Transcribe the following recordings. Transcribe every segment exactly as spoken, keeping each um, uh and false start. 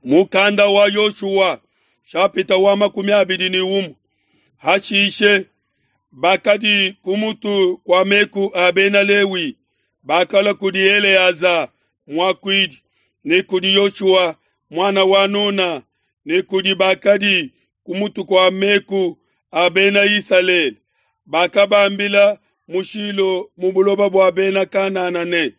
Mukanda wa Yoshua shapita wa makumi abidi ne umue. Hashishe bakadi ku mutu kua meku a Bena Lewi bakalua kudi Eleaza muakuidi ne kudi Yoshua muana wa Nuna ne kudi bakadi ku mutu kua meku a Bena Isalele. Bakabambila mu Shilo mu buloba bua Bena Kanana ne,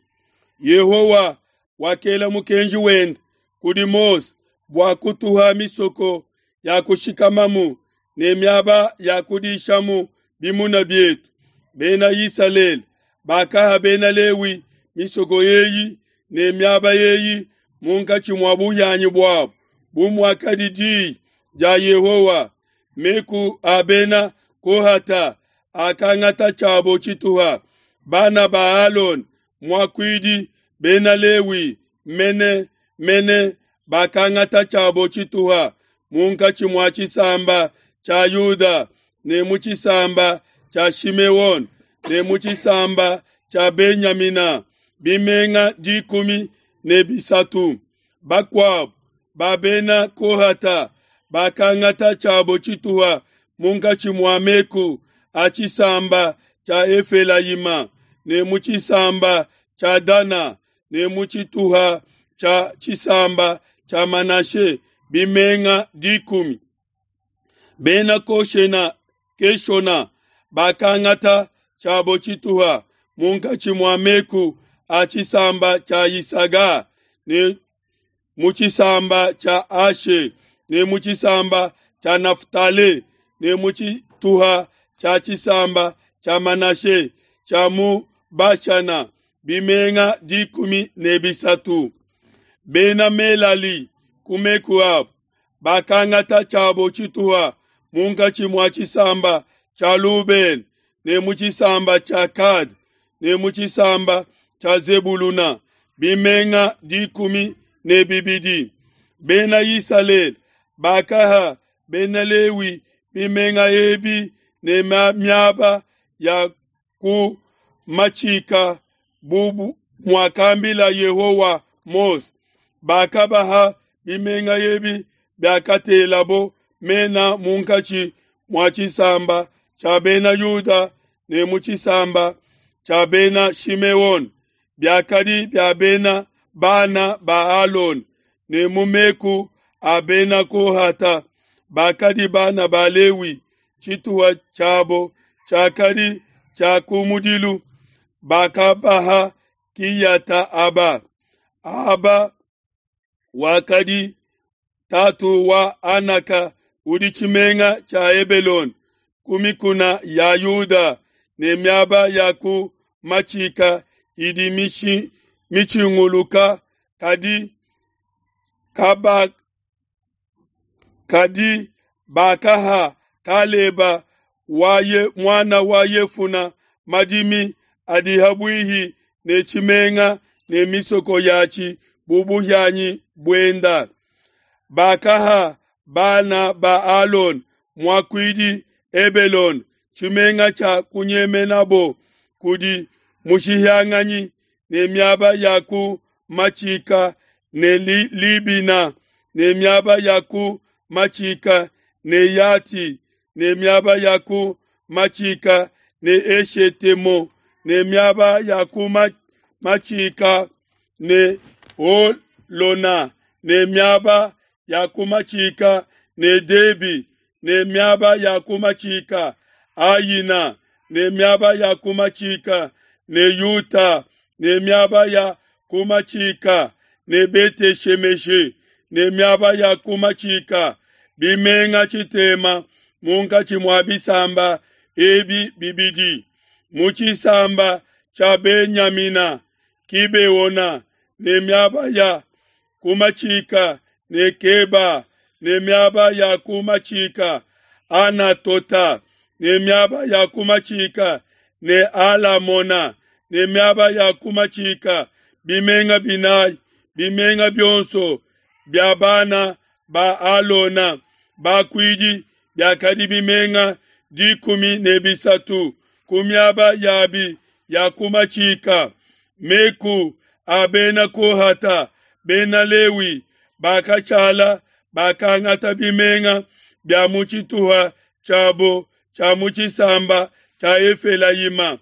Yehowa wakela mukenji wende kudi Mose bua kutuha misoko ya kushikamamu ne miaba ya kudishamu bimuna bietu. Bena Isalele bakaha Bena Lewi misoko eyi ne miaba eyi munkatshi mua buhianyi buabo, bu muakadi di dia Yehowa. Meku a Bena Kohata akangata tshiabo tshituha, bana ba Alona muakuidi, Bena Lewi mene mene bakangata tshiabo tshituha munkatshi mua tshisamba tshia Yuda ne mu tshisamba tshia Shimeona ne mu tshisamba tshia Benyamina, bimenga dikumi ne bisatu. Bakuabo ba Bena Kohata bakangata tshiabo tshituha munkatshi mua meku a tshisamba tshia Efelayima ne mu tshisamba tshia Dana ne mu tshituha tshia tshisamba tshia Manashe, bimenga dikumi. Bena Koshena Keshona bakangata tshiabo tshituha munkatshi mua meku a tshisamba tshia Yisaga ne mu tshisamba tshia Ashe ne mu tshisamba tshia Naftali ne mu tshituha tshia tshisamba tshia Manashe tshia mu Bashana, bimenga dikumi ne bisatu. Bena Melali ku meku abo bakangata tshiabo tshituha munkatshi mua tshisamba tshia Lubena ne mu tshisamba tshia Gade ne mu tshisamba tshia Zebuluna, bimenga dikumi ne bibidi. Bena Isalele bakaha Bena Lewi bimenga ebi ne miaba ya ku matshika bu muakambila Yehowa Mose. Bakabaha bimenga ebi biakatelabo mena munkatshi mua tshisamba tshia Bena Yuda ne mu tshisamba tshia Bena Shimeona, biakadi bia bena bana ba Alona ne mu meku a Bena Kohata bakadi bana ba Lewi. Tshituha tshiabo tshiakadi tshia kumudilu, bakabaha Kiyata Aba. Aba wakadi tatu wa Anaka udi tshimenga tshia Hebelone ku mikuna ya Yuda ne miaba ya ku matshika idi mitshinguluka, kadi kaba kadi bakaha Kaleba waye muana wa Yefuna madimi adi habuihi ne tshimenga ne misoko yatshi bu buhianyi buenda. Bakaha bana ba Alona muakuidi Hebelone tshimenga tshia kunyemenabo kudi mushihianganyi ne miaba ya ku matshika ne Libina ne miaba ya ku matshika ne Yati ne miaba ya ku matshika ne Eshetemo ne miaba ya ku matshika ne Holona ne miaba ya ku matshika ne Debi ne miaba ya ku matshika Ayina ne miaba ya ku matshika ne Yuta ne miaba ya ku matshika ne Bete-Shemeshe ne miaba ya ku matshika, bimenga tshitema munkatshi mua bisamba ebi bibidi. Mu tshisamba tshia Benyamina, Kibeona ne miaba ya ku matshika ne Keba ne miaba ya ku matshika, Anatota ne miaba ya ku matshika ne Alamona ne miaba ya ku matshika, bimenga binayi, bimenga bionso bia bana ba Alona bakuidi biakadi bimenga dikumi ne bisatu ku miaba yabi ya ku matshika. Meku a Bena Kohata, Bena Lewi Bakashala bakangata bimenga bia mu tshituha tshiabo tshia mu tshisamba tshia Efelayima,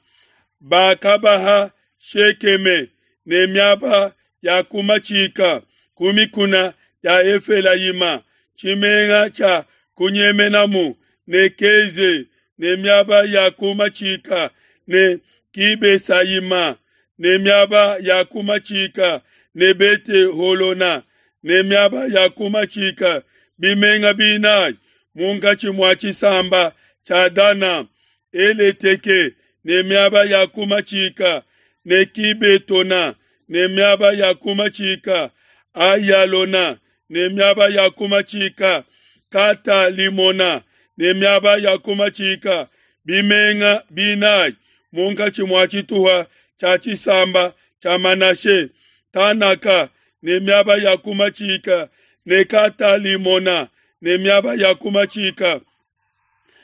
bakabaha Shekeme ne miaba ya ku matshika ku mikuna ya Efelayima, tshimenga tshia kunyemenamu, ne Keze ne miaba ya ku matshika, ne Kibesayima ne miaba ya ku matshika, ne Bete Holona ne miaba ya ku matshika, bimenga binayi munkatshi mua tshisamba tshia Dana, Eleteke ne miaba ya ku matshika, ne Kibetona ne miaba ya ku matshika, Ayalona ne miaba ya ku matshika, Katalimona ne miaba ya ku matshika, bimenga binayi munkatshi mua tshituha tshia tshisamba tshia Manashe, Tanaka ne miaba ya ku matshika, ne Katalimona ne miaba ya ku matshika,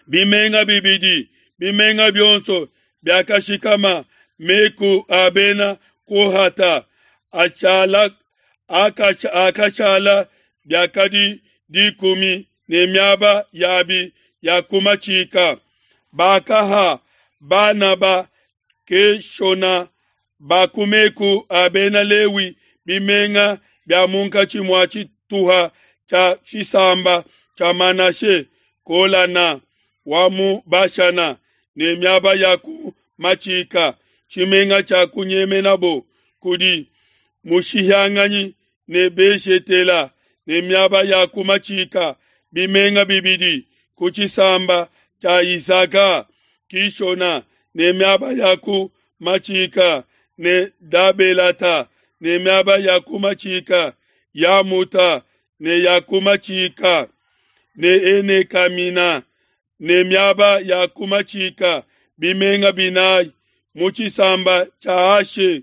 bimenga bibidi, bimenga bionso biakashikama meku a bena Kohata achala akashala biakadi dikumi ne miaba yabi ya ku matshika. Bakaha bana ba Keshona ba ku meku a bena Lewi bimenga bia munkatshi mua tshituha tshia tshisamba tshia Manashe, Kolana wa mu Bashana ne miaba ya ku matshika, tshimenga tshia kunyemenabo kudi mushihianganyi, ne Beshetela ne miaba ya ku matshika, bimenga bibidi ku tshisamba tshia Isaka, Kishona ne miaba ya ku matshika, ne Dabelata ne miaba ya ku matshika, Yamuta ne ya ku matshika, ne Enekamina ne miaba ya ku matshika, bimenga binayi mu tshisamba tshia Ashe,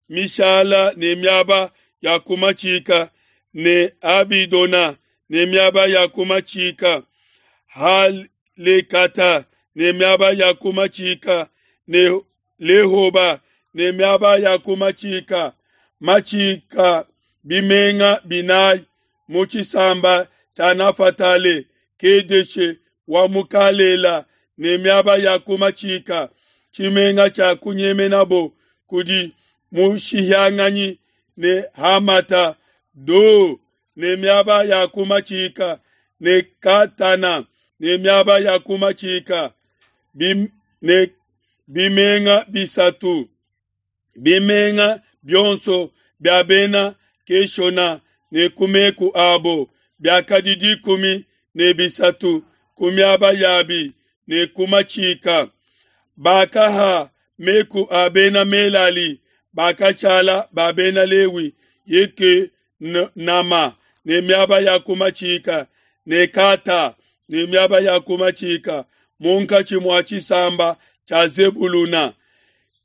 Mishala ne miaba ya ku matshika, ne Abidona ne miaba ya ku matshika, Halekata ne miaba ya ku matshika, ne Lehoba ne miaba ya ku matshika, matshika bimenga binayi mu tshisamba tshia Nafatale, Kedeshe wa mu Kalela ne miaba ya ku matshika, tshimenga tshia kunyemenabo kudi mushihianganyi, ne Hamata Do ne miaba ya ku matshika, ne Katana ne miaba ya ku matshika, bim, ne bimenga bisatu, bimenga bionso bia bena Keshona ne ku meku abo biakadi dikumi ne bisatu ku miaba yabi ne ku matshika. Bakaha meku a bena Melali bakashala ba bena Lewi Yeke Nama ne miaba ya ku matshika, ne Kata ne miaba ya ku matshika munkatshi mua tshisamba tshia Zebuluna,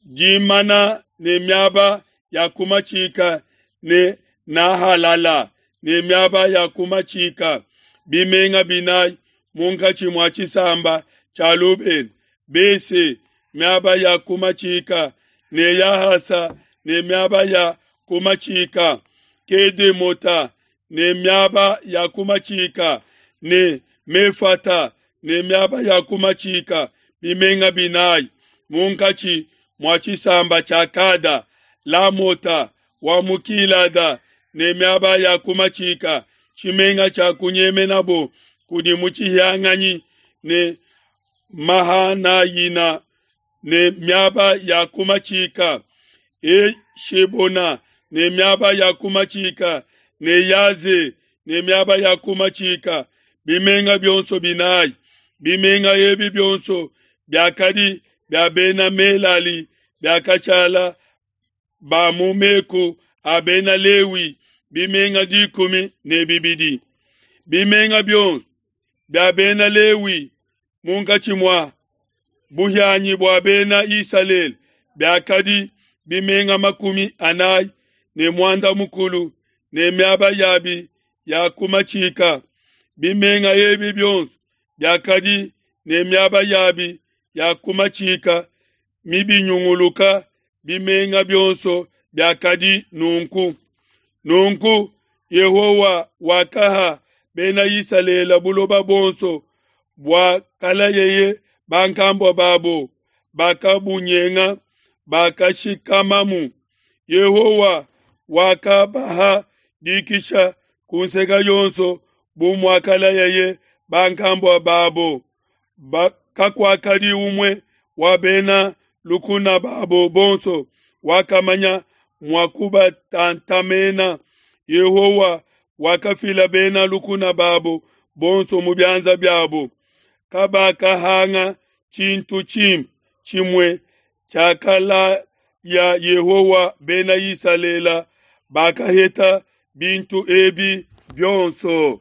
Dimana ne miaba ya ku matshika, ne Nahalala ne miaba ya ku matshika, bimenga binayi munkatshi mua tshisamba tshia Lubena, Bese miaba ya ku matshika, ne Yahasa ne miaba ya ku matshika, Kedemota ne miaba ya ku matshika, ne Mefata ne miaba ya ku matshika, bimenga binayi munkatshi mua tshisamba tshia Kada, Lamota wa mu Kilada ne miaba ya ku matshika, tshimenga tshia kunyemenabo kudi mutshihianganyi, ne Mahanayina ne miaba ya ku matshika, Eshebona ne miaba ya ku matshika, ne Yaze ne miaba ya ku matshika, bimenga bionso binayi. Bimenga ebi bionso biakadi bia bena Melali biakashala ba mu meku a bena Lewi, bimenga dikumi ne bibidi. Bimenga bionso bia bena Lewi munkatshi mua buhianyi bua bena Isalele biakadi bimenga makumi anayi ne muanda mukulu ne miaba yabi ya ku matshika. Bimenga ebi bionso biakadi ne miaba yabi ya ku matshika mibinyunguluka, bimenga bionso biakadi nunku. Nunku Yehowa wakaha Bena Isalele buloba buonso buakalayeye bankambua babo, bakabunyenga, bakashikamamu. Yehowa wakabaha dikisha ku nseke yonso bu muakalayeye bankambua babo. Ba, kakuakadi umue wa bena lukuna babo bonso wakamanya mua kubatantamena. Yehowa wakafila bena lukuna babo bonso mu bianza biabo. Kabakahanga tshintu tshimpe tshimue tshiakalaya Yehowa Bena Isalele, bakaheta bintu ebi bionso.